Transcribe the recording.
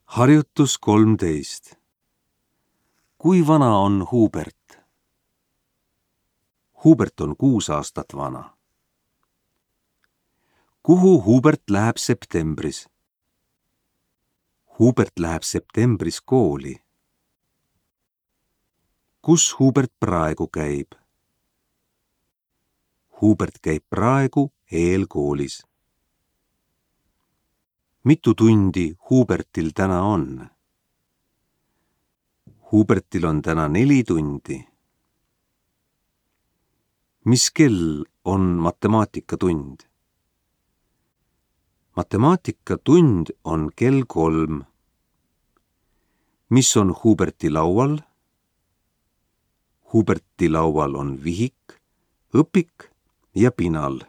Harjutus 13. Kui vana on Hubert? Hubert on 6 aastat vana. Kuhu Hubert läheb septembris? Hubert läheb septembris kooli. Kus Hubert praegu käib? Hubert käib praegu eelkoolis. Mitu tundi Hubertil täna on? Hubertil on täna 4 tundi. Mis kell on matemaatikatund? Matemaatikatund on kell 3. Mis on Huberti laual? Huberti laual on vihik, õpik ja pinal.